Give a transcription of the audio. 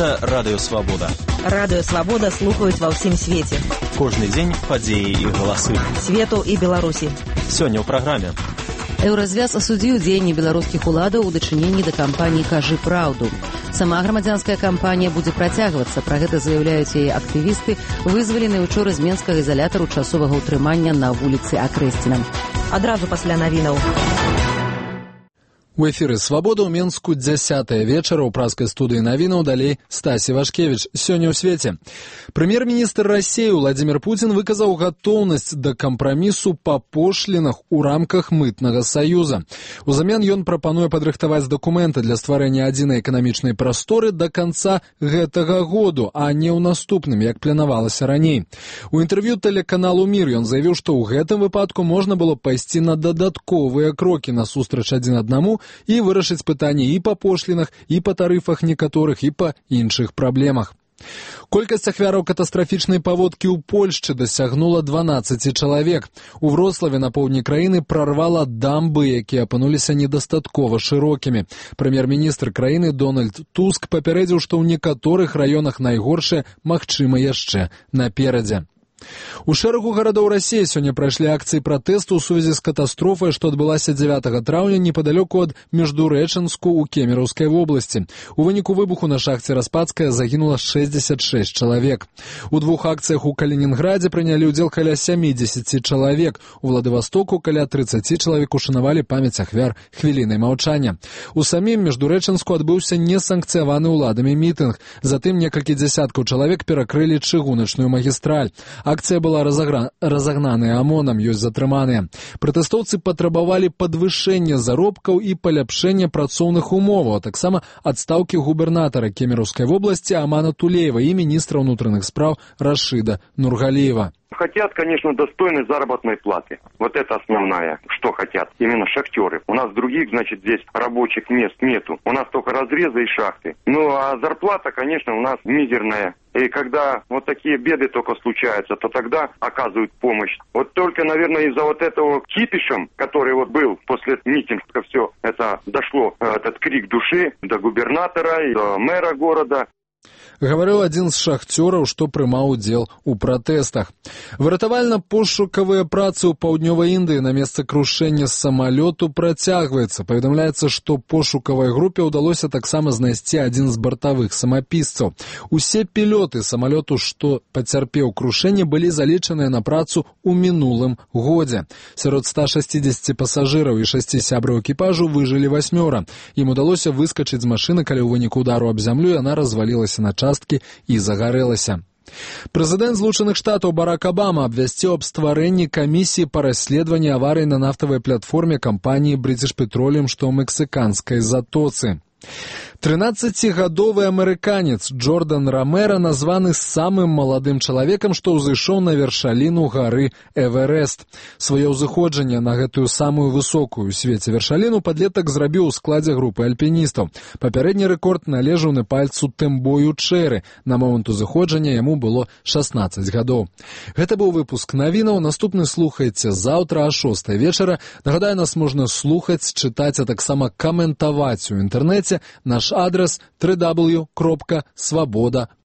Гэта Радыё Свабода. Радыё Свабода слухаюць ва ўсім свеце. Кожны дзень падзеі і галасы. Свету і Беларусі. Сёння ў праграме. Еўразвяз асудзіў дзеянні беларускіх уладаў у дачыненні да кампаніі «Кажы праўду». Сама грамадзянская кампанія будзе працягвацца. Пра гэта заяўляюць яе актывісты, вызваленыя учора з менскага ізалятару часовага ўтрымання на вуліцы Акрэсціна. Адразу пасля навінаў. У эфіры «Свабода» ў Менску 10-е вечара. У праскай студыі навінаў далей Стасі Вашкевіч. Сёння ў свеце. Прэм'ер-міністр Расіі Владзімір Пуцін выказаў гатоўнасць да кампрамісу па пошлінах у рамках мытнага саюза. Узамен ён прапануе падрыхтаваць дакументы для стварэння адзінай эканамічнай прасторы да канца гэтага году, а не ў наступным, як планавалася раней. У інтэрв'ю тэлеканалу «Мір» ён заявіў, што ў гэтым выпадку можна было пайсці на дадатковыя крокі насустрач адзін аднаму і вырашыць пытанні і па пошлінах, і па тарыфах некаторых, і па іншых праблемах. Колькасць ахвяраў катастрафічнай паводкі ў Польшчы дасягнула 12 чалавек. У Вроцлаве на поўдні краіны прарвала дамбы, якія апынуліся недастаткова шырокімі. Прэм'ер-міністр краіны Дональд Туск папярэдзіў, што ў некаторых раёнах найгоршае магчыма яшчэ наперадзе. У шэрагу гарадоў Расіі сёння прайшлі акцыі пратэсту ў сувязі з катастрофай, што адбылася 9 траўня непадалёку ад Междурэчанску ў Кемераўскай вобласці. У выніку выбуху на шахце Распадская загінула 66 чалавек. У двух акцыях у Калінінградзе прынялі ўдзел каля 70 чалавек. У Владывастоку каля 30 чалавек ушанавалі памяць ахвяр хвілінай маўчання. У самім Междурэчанску адбыўся несанкцыяваны ўладамі мітынг. Затым некалькі дзясяткаў чалавек перакрылі чыгуначную магістраль. Акцыя была разагнаная ОМОНам, ёсць затрыманыя. Пратэстоўцы патрабавалі падвышэння заробкаў і паляпшэння працоўных умоваў, а таксама адстаўкі губернатара Кемераўскай вобласці Амана Тулеева і міністра ўнутраных спраў Рашида Нургалиева. Хотят, конечно, достойной заработной платы. Вот это основное, что хотят именно шахтеры. У нас других, значит, здесь рабочих мест нету. У нас только разрезы и шахты. Ну, а зарплата, конечно, у нас мизерная. И когда вот такие беды только случаются, то тогда оказывают помощь. Вот только, наверное, из-за вот этого кипишем, который вот был после митинга, все это дошло, этот крик души до губернатора и до мэра города. Гаварыў адзін з шахцёраў, што прымаў удзел у пратэстах. Выратавальна-пошукавыя працы ў паўднёвай Індыі на месцы крушэння самалёту працягваецца. Паведамляецца, што пошукавай групе ўдалося таксама знайсці адзін з бартавых самапісцаў. Усе пілёты самалёту, што пацярпеў крушэнне, былі залічаныя на працу ў мінулым годзе. Сярод 160 пасажыраў і 6 сябраў экіпажу выжылі 8. Ім удалося выскачыць з машыны, калі ў выніку удару аб зямлю яна развалілася на часткі і загарэлася. Прэзідэнт Злучаных Штатаў Барак Абама абвясціў аб стварэнні камісіі па расследаванні аварыі на нафтавай платформе кампаніі British Petroleum, што ў мексіканскай затоцы. 13-гадовы амерыканец Джордан Ромера названы самым маладым чалавекам, што ўзышоў на вяршаліну гары Эверест. Сваё ўзыходжанне на гэтую самую высокую ў свеце вяршаліну падлетак зрабіў у складзе групы альпіністаў. Папярэдні рэкорд належаў на пальцу Тэмбою Чэры. На момант узыходжання яму было 16 гадоў. Гэта быў выпуск навінаў. Наступны слухайце заўтра о 6 вечара. Нагадаю, нас можна слухаць, чытаць, а таксама каментаваць у інтэрнэце. Наш адрес www.svoboda.org.